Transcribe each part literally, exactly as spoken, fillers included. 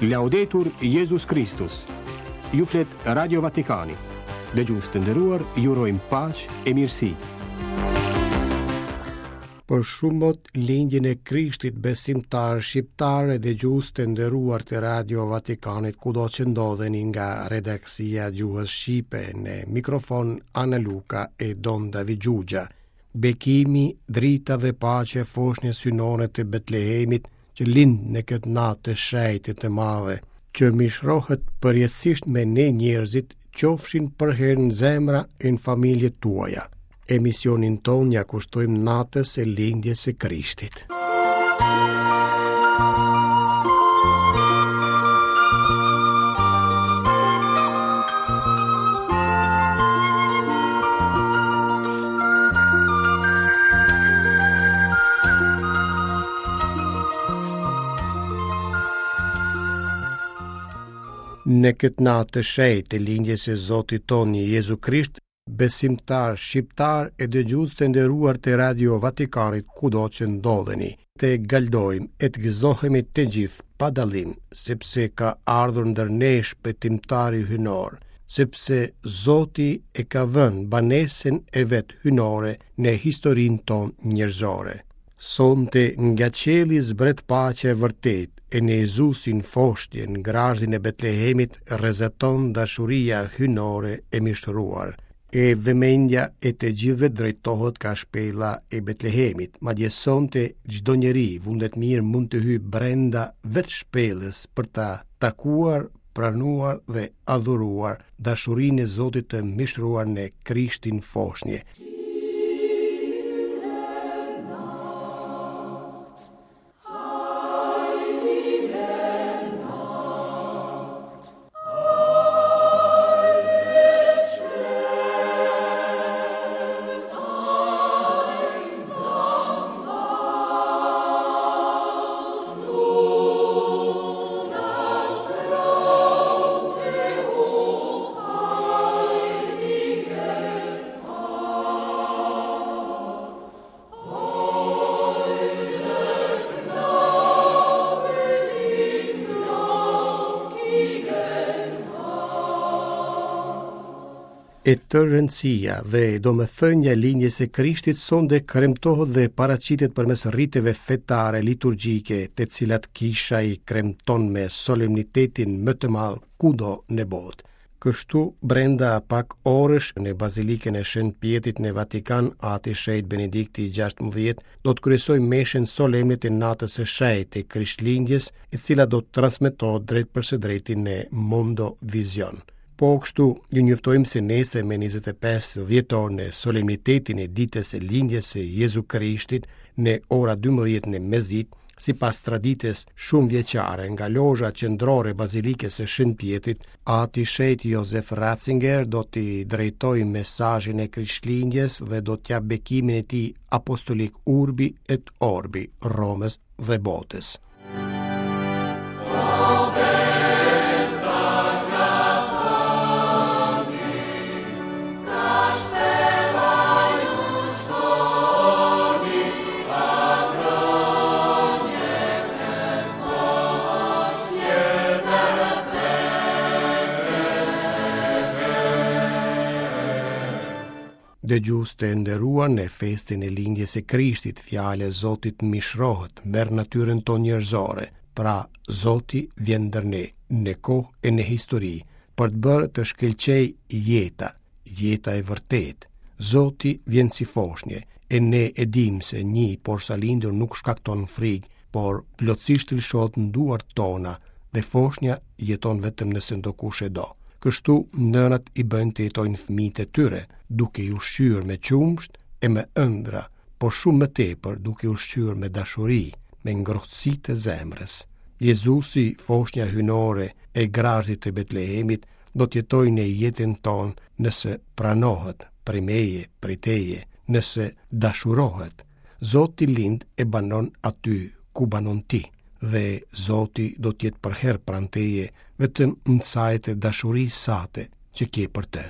Laudetur Jezus Kristus. Ju flet Radio Vatikani. Dëgjues të nderuar, ju urojmë paqe e mirësi. Për shumë mot lindjen e Krishtit besimtar shqiptar e dëgjues të nderuar të Radio Vatikanit kudo që ndodheni nga redaksia gjuhës shqipe në mikrofon Ana Luka e Don David Gjugja. Bekimi, drita dhe paqe foshnjës hyjnore të Betlehemit që lind në këtë natë të shenjtë të madhe, që mishrohet përjetësisht me ne njerëzit, qofshin përherë në zemra e në familjet tuaja. Emisionin tonë ja kushtojmë natës e lindjes së Krishtit. Në këtë natë të shenjtë të lindjes së Zotit tonë Jezu Krisht, besimtar shqiptar e dëgjues të nderuar të Radio Vatikanit kudo që ndodheni, të galdojmë e të gëzohemi të gjithë pa dallim, sepse ka ardhur ndër ne shpëtimtari hyjnor, sepse Zoti e ka vënë banesën e vet hyjnore në historinë tonë njerëzore. Sonte nga qielli zbret paqe e vërtet, e në Jezusin foshnjë në grazhdin e Betlehemit rrezaton dashuria hyjnore e mishtëruar. E vëmendja e të gjithëve drejtohet ka shpella e Betlehemit, madje sonte çdo njeri vullnet mirë mund të hyjë brenda vetë shpellës për ta takuar, pranuar dhe adhuruar dashurinë e Zotit të mishtëruar në Krishtin foshnjë. E tërë rëndësia dhe domethënia e lindjes së Krishtit sonte kremtohet dhe paraqitet përmes riteve fetare liturgjike, të cilat kisha i kremton me solemnitetin më të madh kudo në botë. Kështu, brenda pak orësh në Bazilikën e Shën Pjetrit në Vatikan, Ati Shenjt Benedikti i gjashtëmbëdhjetë do të kryesojë meshën solemne të natës së shenjtë të Krishtlindjes, e cila do të transmetohet drejt për së drejti në Mondo Vision. Po kështu, ju njoftojmë se nesër me njëzet e pesë dhjetor në solemnitetin e ditës së lindjes së Jezu Krishtit në ora dymbëdhjetë në mesditë, sipas traditës shumë vjeçare nga lozha qendrore e Bazilikës së Shën Pjetrit, Ati Shenjt Josef Ratzinger do t'i drejtojë mesazhin e Krishtlindjes dhe do t'ja bekimin e tij apostolik Urbi et Orbi, Romës dhe botës. Dëgjues të nderuar, në festën e lindjes së Krishtit, fjala e Zotit mishrohet, merr natyrën tonë njerëzore. Pra, Zoti vjen ndër ne, në kohë e në histori, për të bërë të shkëlqej jeta, jeta e vërtetë. Zoti vjen si foshnje, e ne e dim se një porsa lindur nuk shkakton frikë, por plotësisht lëshohet në duart tona dhe foshnja jeton vetëm nëse ndokush e do. Kështu, nënat i bëjnë të jetojnë fëmijët e tyre, duke i ushqyer me qumësht e me ëndra, por shumë më tepër duke i ushqyer me dashuri, me ngrohtësi të zemrës. Jezusi, foshnja hyjnore e grazhdit të Betlehemit, do të jetojë në jetën tonë nëse pranohet prej meje, prej teje, nëse dashurohet. Zoti lind e banon aty ku banon ti, dhe Zoti do të jetë përherë pranë teje, vetëm në sajet e dashurisë sate që ke për të.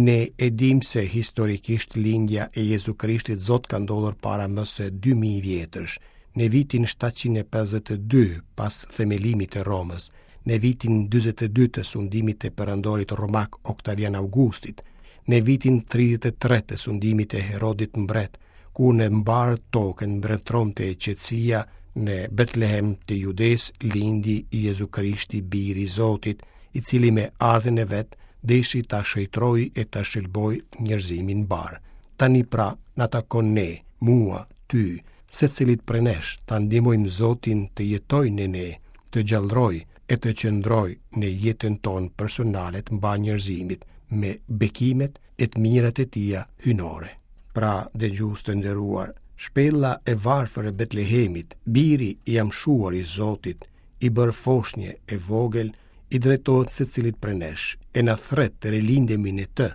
Ne e dim se historikisht lindja e Jezu Krishtit Zot ka ndodhur para më se dy mijë vjetësh, në vitin shtatëqind e pesëdhjetë e dy pas themelimit të Romës, në vitin dyzet e dy të sundimit të perandorit romak Oktavian Augustit, në vitin tridhjetë e tre të sundimit të Herodit mbret, ku në mbarë tokën mbretëronte qetësia, në Betlehem të Judes lindi Jezu Krishti, biri i Zotit, i cili me ardhjen e vet deshi ta shëjtroj e ta shëlboj njerëzimin mbar. Tani pra na takon ne, mua, ty, secilit prej nesh, ta ndihmojmë Zotin të jetojë në ne, të gjallërojë e të qëndrojë në jetën tonë personale të mbarë njerëzimit, me bekimet e të mirat e tija hyjnore. Pra, dëgjues të nderuar, shpella e varfër e Betlehemit, biri i amshuar i Zotit, i bërë foshnje e vogël, i drejtohet secilit prej nesh, e na thret të rilindemi në të,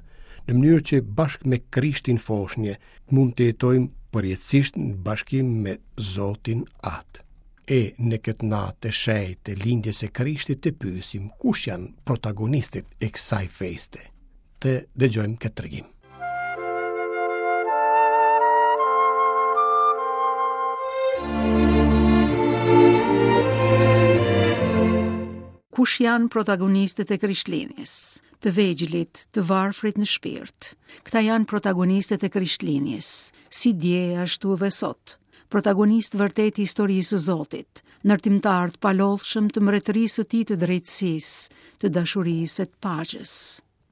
në mënyrë që bashkë me Krishtin foshnje mund të jetojmë përjetësisht në bashkim me Zotin Atë. E në këtë natë të shenjtë të lindjes së Krishtit të pyesim kush janë protagonistët e kësaj feste. Të dëgjojmë këtë tregim. Kush janë protagonistët e Krishtlindjes? Të vegjlit, të varfrit në shpirt. Këta janë protagonistët e Krishtlindjes, si dje ashtu dhe sot. Protagonist vërtet i historisë së Zotit, ndërtimtar të palodhshëm të mbretërisë së tij të drejtësisë, të dashurisë e të paqes.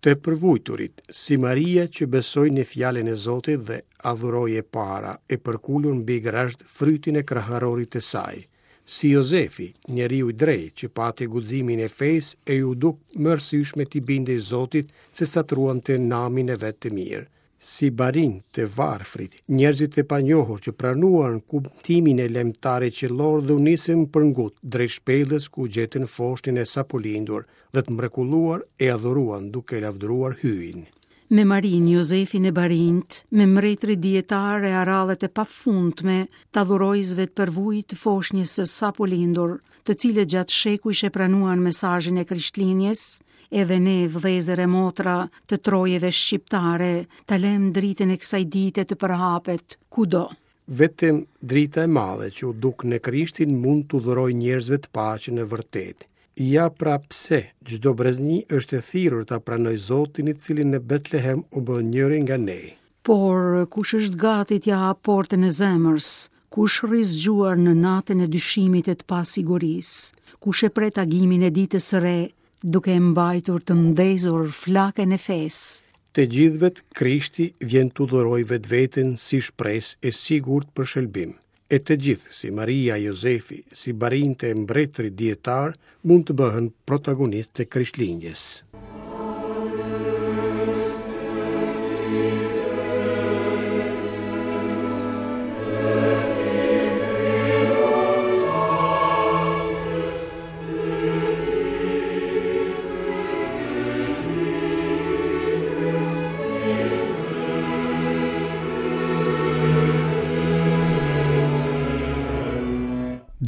Të përvujturit, si Maria që besoi në fjalën e Zotit dhe adhuroi e para, e përkulur mbi grazhd frytin e kraharorit të saj, si Jozefi, njeriu i drejtë që pati guximin e fesë e ju duk më arsyeshme t'i bindej Zotit se sa të ruante namin e vet të mirë, si barin të varfrit, njerëzit e panjohur që pranuan kumtimin e lajmëtarit qiellor dhe u nisën për ngut drejt shpellës ku gjetën foshnjën e sapolindur dhe të mrekulluar e adhuruan duke lavdëruar Hyjin. Me Marin, Jozefin e Barint, me mbretërit dietar e arallet e pafundme të adhurojsve të përvujt të foshnjës së sapolindur, të cilët gjatë shekujsh e pranuan mesazhin e Krishtlindjes, edhe ne vëllezër e motra të trojeve shqiptare, ta lëm dritën e kësaj dite të përhapet kudo. Vetëm drita e madhe që u duk në Krishtin mund t'u dhurojë njerëzve të paqen e vërtetë. Ja pra pse çdo brezni është e thirrur ta pranojë Zotin i cili në Betlehem u bë njëri nga ne. Por kush është gati t'ia hap portën e zemrës? Kush rri zgjuar në natën e dyshimit e të pasigurisë? Kush e pret agimin e ditës së re, duke e mbajtur të ndezur flakën e fesë? Të gjithëve Krishti vjen t'u dhurojë vetveten si shpresë e sigurt për shëlbim. E të gjithë, si Maria, Jozefi, si barinte e mbretërit dietar, mund të bëhen protagonistë të Krishtlindjes.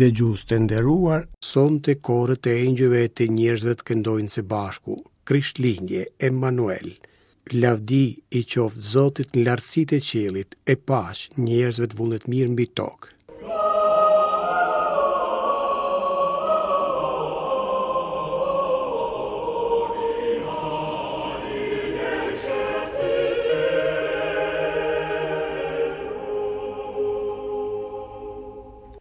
Dëgjues të nderuar, sonte korët e engjëjve e të njerëzve të këndojnë së bashku, Krishtlindje, Emanuel. Lavdi i qoftë Zotit në lartësitë e qiellit, e paq njerëzve të vullnet mirë mbi tokë.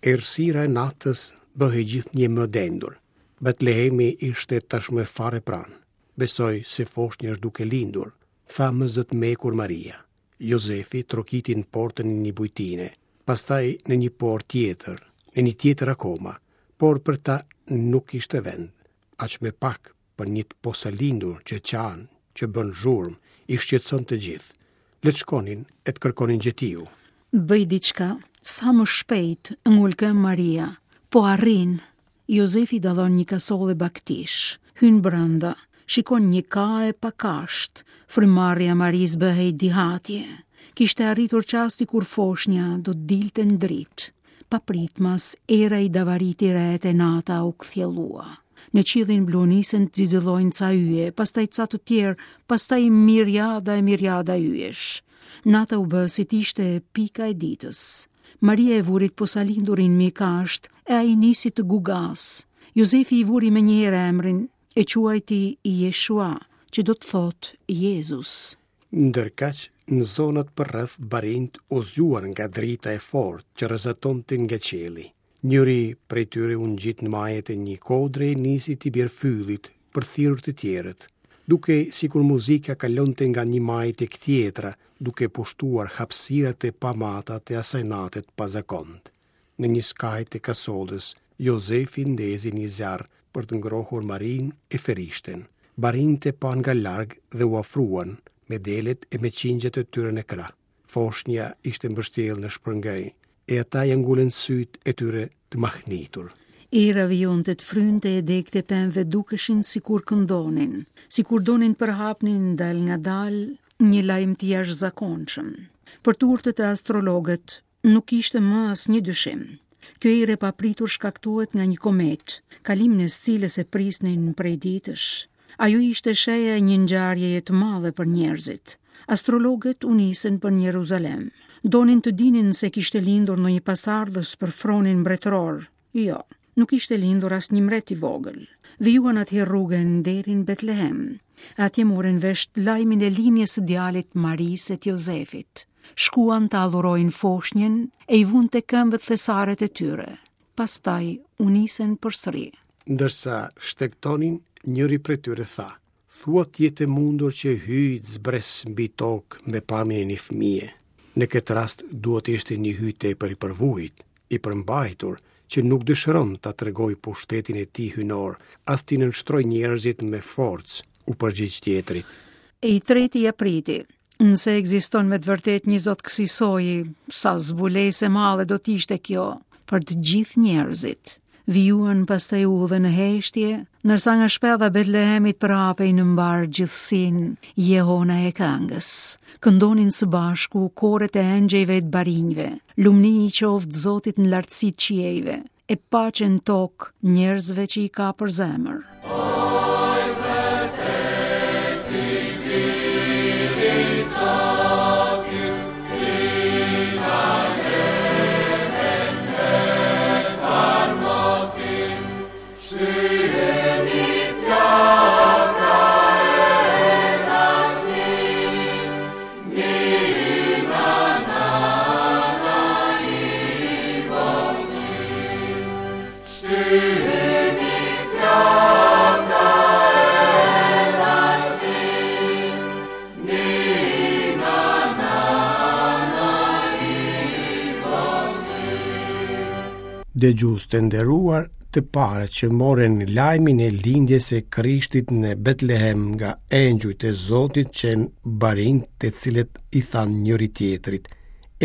Errësira e natës bëhej gjithnjë më dendur. Betlehemi ishte tashmë fare pranë. Besoj se foshnja është duke lindur, tha më zë të mekur Maria. Jozefi trokiti në portën e një bujtine, pastaj në një portë tjetër, në një tjetër akoma, por për ta nuk ishte vend. Aq më pak për një të posalindur që qan, që bën zhurmë, i shqetëson të gjithë. Le të shkonin e të kërkonin gjetiu. Bëj diçka, sa më shpejt, ngulkëm Maria. Po arrin. Jozefi dallon një kasolle baktish, hyn brenda, shikon një ka e pakasht. Frymarrja e Marisë bëhej dihatje. Kishte arritur çasti kur foshnja do të dilte në dritë. Papritmas, era i davariti retë e nata u kthjellua. Në qiellin blu nisën të xixëllojnë ca yje, pastaj ca të tjerë, pastaj miriada e miriada yjesh. Nata u bë si t'ishte pika e ditës. Maria e vurit posalindurin mbi kasht e ai nisi të gugas. Jozefi i vuri menjëherë emrin, e quajti Jeshua, që do të thotë Jezus. Ndërkaq, në zonat përreth barinjtë u zgjuan nga drita e fortë që rrezatonte nga qielli. Njëri prej tyre u ngjit në majet e një kodre e nisi t'i bjerë fyllit për thirrur të tjerët. Dukej sikur muzika kalonte nga një majë tek tjetra, duke pushtuar hapësirat e pamata të asaj nate të pazakontë. Në një skaj të kasollës, Jozefi ndezi një zjarr për të ngrohur Marinë e Ferishten. Barinjtë e panë nga larg dhe u afruan me delet e me qingjet e tyre në krah. Foshnja ishte mbështjellë në shpërngaj, e ata ia ngulën sytë e tyre të mahnitur. Era vijonte të frynte e degët e pemëve dukeshin sikur këndonin, sikur donin të përhapnin dal nga dal një lajm të jashtëzakonshëm. Për turtët e astrologët nuk ishte më asnjë dyshim. Kjo erë e papritur shkaktohet nga një komet, kalimin e së cilës e prisnin prej ditësh. Ajo ishte shenja e një ngjarjeje të madhe për njerëzit. Astrologët u nisën për në Jeruzalem. Donin të dinin se kishte lindur ndonjë pasardhës për fronin mbretëror. Jo, nuk ishte lindur asnjë mbret i vogël. Vijuan atëherë rrugën deri në Betlehem. Atje morën vesh lajmin e lindjes së djalit Marisë e të Jozefit. Shkuan të adhurojnë foshnjën e i vunë te këmbët thesaret e tyre. Pastaj u nisën përsëri. Ndërsa shtegtonin, njëri prej tyre tha: "Thua të jetë e mundur që Hyji të zbres mbi tokë me pamjen e një fëmije. Në këtë rast duhet të ishte një hyj tepër i përvujt, i përmbajtur, që nuk dëshiron ta tregojë pushtetin e tij hynor, as t'i nënshtrojë njerëzit me forcë," u përgjigj tjetri. E i treti ja priti: "Nëse ekziston me të vërtet një zot kësisoji, sa zbulesë e madhe do të ishte kjo për të gjithë njerëzit." Vijuan pastaj udhën në heshtje, ndërsa nga shpella e Betlehemit përhapej në mbar gjithësinë jehona e këngës. Këndonin së bashku koret e engjëjve e të barinjve. Lumni i qoftë Zotit në lartësi të qiejve, e paqe në tokë njerëzve që i ka për zemër. Dëgjues të nderuar, të parët që morën lajmin e lindjes së Krishtit në Betlehem nga engjujt e Zotit qenë barinjtë, të cilët i thanë njëri tjetrit: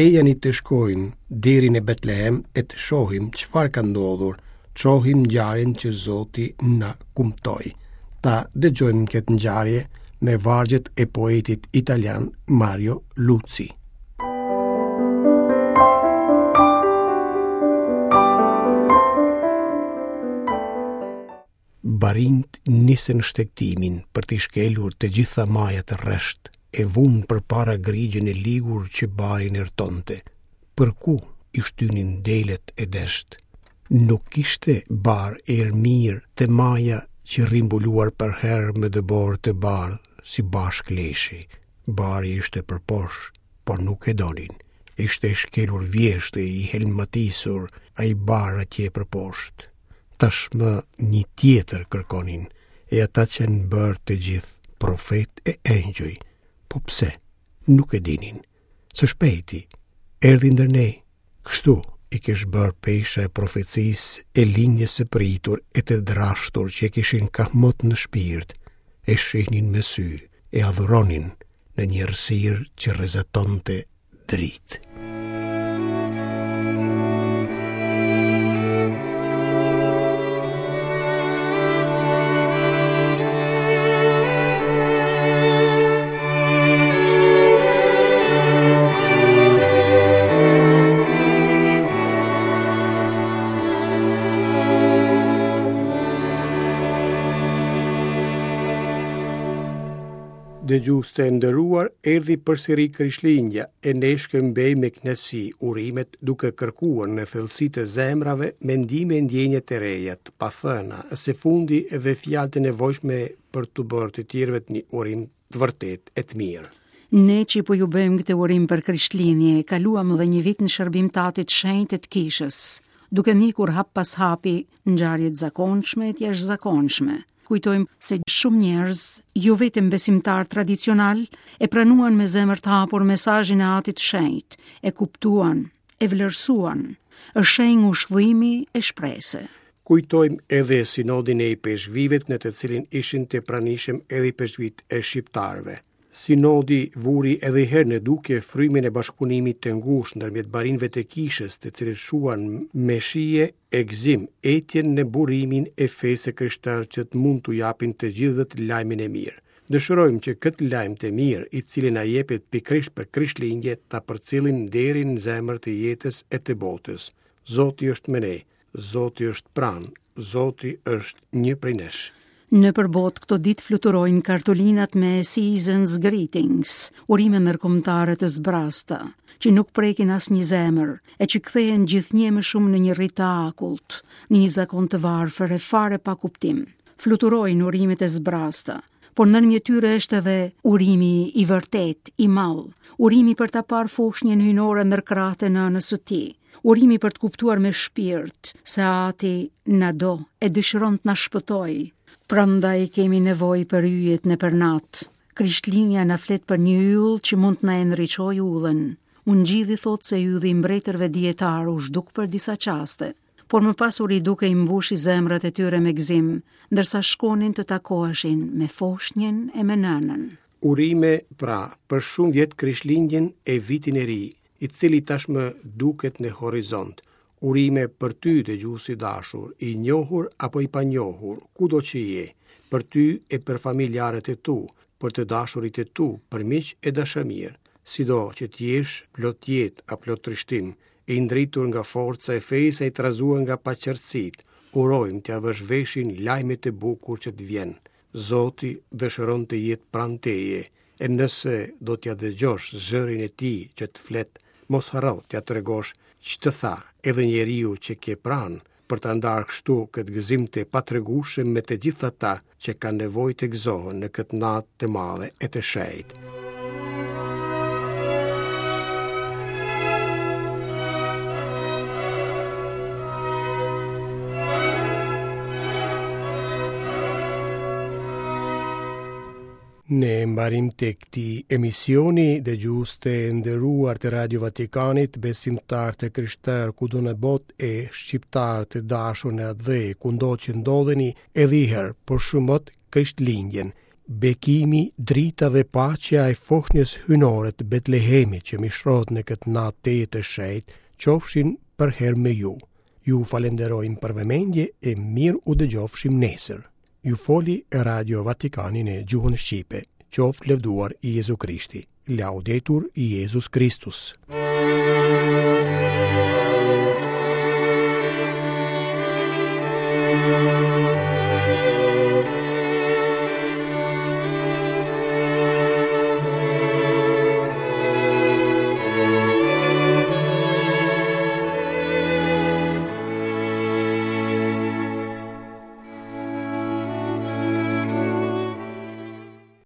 "Ejani të shkojmë deri në Betlehem e të shohim çfarë ka ndodhur, të shohim ngjarjen që Zoti na kumtoi." Ta dëgjojmë këtë ngjarje me vargjet e poetit italian Mario Luzi. Barinjtë nisën shtegtimin për t'i shkelur të gjitha majat rresht, e vunë përpara grigjën e ligur që barin erëtonte. Për ku i shtynin delet e desht. Nuk kishte bar erë mirë te maja që rri mbuluar përherë me dëborë të bardhë si bashkë leshi. Bari ishte përposh, por nuk e donin. Ishte shkelur vjeshtë i helmatisur ai bar atje përposhtë. Tashmë një tjetër kërkonin, e ata qenë bërë të gjithë profet e engjëj. Po pse? Nuk e dinin. Së shpejti, erdhi ndër ne. Kështu i kish bërë pesha e profecisë e lindjes së pritur e të drashtur që e kishin kahmot në shpirt, e shihnin me sy, e adhuronin në një errësirë që rrezatonte dritë. Dëgjues të nderuar, erdhi përsëri Krishtlindja e ne shkëmbejmë me kënaqësi urimet duke kërkuar në thellësi të zemrave mendime e ndjenja të reja, të pathëna, e së fundi edhe fjalë të nevojshme për t'u bërë të tjerëve një urim të vërtetë e të mirë. Ne që po ju bëjmë këtë urim për Krishtlindje, kaluam edhe një vit në shërbim të Atit Shenjt të Kishës, duke ndjekur hap pas hapi ngjarje të zakonshme e të jashtëzakonshme. Kujtojmë se shumë njerëz, jo vetëm besimtar tradicional, e pranuan me zemër të hapur mesazhin e Atit Shenjt, e kuptuan, e vlerësuan. Është shenjë ngushëllimi e shprese. Kujtojmë edhe sinodin e ipeshkvivit në të cilin ishin të pranishëm edhe ipeshkvit e shqiptarëve. Sinodi vuri edhe herë në dukje frymin e bashkëpunimit të ngushtë ndërmjet barinjve të kishës, të cilët shuan me shije e gëzim etjen në burimin e fesë së krishterë që të mund t'u japin të gjithëve lajmin e mirë. Dëshirojmë që këtë lajm të mirë, i cili na jepet pikërisht për Krishtlindje, ta përcjellim deri në zemër të jetës e të botës. Zoti është me ne, Zoti është pranë, Zoti është një prej nesh. Në përbot këto ditë fluturojnë kartolinat me Season's Greetings, urime ndërkombëtare të zbrasta, që nuk prekin asnjë zemër, e që kthehen gjithnjë më shumë në një rit të akullt, në një zakon të varfër e fare pa kuptim. Fluturojnë urimet e zbrasta, por ndërmjet tyre është edhe urimi i vërtet, i madh, urimi për ta parë foshnjën hyjnore ndër krahët e nënës së tij, urimi për të kuptuar me shpirt se Ati na do e dëshiron të na shpëtojë. Prandaj kemi nevojë për yjet nëpër natë. Krishtlindja na flet për një yll që mund të na e ndriçojë ullën. Ungjilli thotë se ylli i mbretërve dietar u zhduk për disa çaste, por më pas u riduke i mbushi zemrat e tyre me gëzim, ndërsa shkonin të takoheshin me foshnjën e me nënën. Urime, pra, për shumë vjet Krishtlindjen e vitin e ri, i cili tashmë duket në horizont. Urime për ty, dëgjues i dashur, i njohur apo i panjohur, kudo që je, për ty e për familjarët e tu, për të dashurit e tu, për miq e dashamirë, sido që të jesh plot jetë a plot trishtim, i ndritur nga forca e fesë e i trazuar nga paqartësitë, urojmë t'ia vësh veshin lajmit të bukur që të vjen. Zoti dëshiron të jetë pranë teje, e nëse do t'ia dëgjosh zërin e tij që të flet, mos harro t'ia tregosh ç'të tha edhe njeriu që ke pranë, për ta ndarë kështu këtë gëzim të patregueshëm me të gjithë ata që kanë nevojë të gëzohen në këtë natë të madhe e të shenjtë. Në mbarim të këtij emisioni, dëgjues të nderuar të Radio Vatikanit, besimtar të krishterë kudo në botë e shqiptar të dashur në atdhe, kudo që ndodheni, edhe i herë për shumë mot Krishtlindjen. Bekimi, drita dhe paqja e foshnjës hyjnore të Betlehemit që mishrohet në këtë natë të shenjtë, qofshin përherë me ju. Ju falenderojmë për vëmendje e mirë u dëgjofshim nesër. Ju foli Radio Vatikani në gjuhën shqipe. Qoftë lëvduar Jezu Krishti. Laudetur Jezus Kristus.